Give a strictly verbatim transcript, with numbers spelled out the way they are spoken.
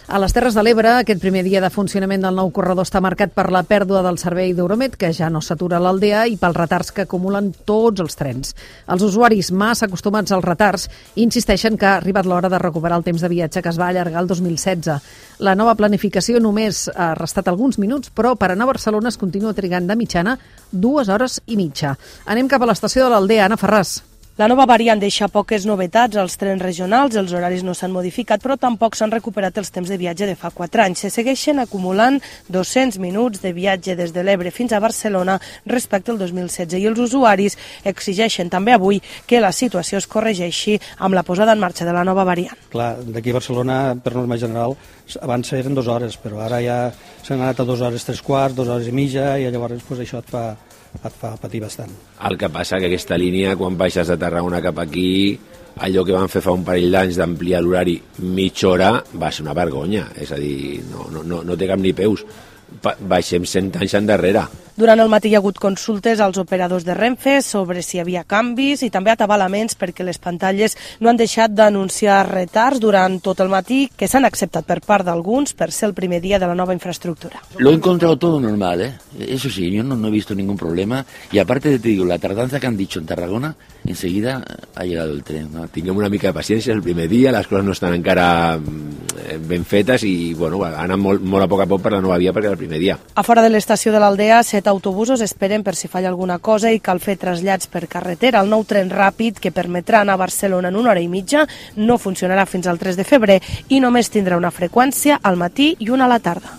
A les Terres de l'Ebre, aquest primer dia de funcionament del nou corredor està marcat per la pèrdua del servei d'Euromed, que ja no s'atura a l'Aldea, i pels retards que acumulen tots els trens. Els usuaris, massa acostumats als retards, insisteixen que ha arribat l'hora de recuperar el temps de viatge que es va allargar el dos mil setze. La nova planificació només ha restat alguns minuts, però per anar a Barcelona es continua trigant de mitjana dues hores i mitja. Anem cap a l'estació de l'Aldea. Anna Ferràs. La nova variant deixa poques novetats als trens regionals, els horaris no s'han modificat, però tampoc s'han recuperat els temps de viatge de fa quatre anys. Se segueixen acumulant dos-cents minuts de viatge des de l'Ebre fins a Barcelona respecte al dos mil setze, i els usuaris exigeixen també avui que la situació es corregeixi amb la posada en marxa de la nova variant. Clar, d'aquí a Barcelona, per norma general, abans eren dues hores, però ara ja s'han anat a dues hores tres quarts, dues hores i mitja, i llavors pues, això et fa... et fa patir bastant. El que passa que aquesta línia, quan baixes de Tarragona cap aquí, allò que van fer fa un parell d'anys d'ampliar l'horari mitja hora va ser una vergonya, és a dir, no, no, no, no té cap ni peus. Baixem cent anys endarrere. Durant el matí hi ha hagut consultes als operadors de Renfe sobre si hi havia canvis i també atabalaments perquè les pantalles no han deixat d'anunciar retards durant tot el matí, que s'han acceptat per part d'alguns per ser el primer dia de la nova infraestructura. Lo he encontrado todo normal, ¿eh? Eso sí, yo no, no he visto ningún problema, y aparte te digo, la tardanza que han dicho en Tarragona, enseguida ha llegado el tren, ¿no? Tinguem una mica de paciència, és el primer dia, les coses no estan encara ben fetes i bueno, han anat molt, molt a poc a poc per la nova via perquè és el primer dia. A fora de l'estació de l'Aldea, set autobusos esperen per si falla alguna cosa i cal fer trasllats per carretera. El nou tren ràpid, que permetrà anar a Barcelona en una hora i mitja, no funcionarà fins al tres de febrer i només tindrà una freqüència al matí i una a la tarda.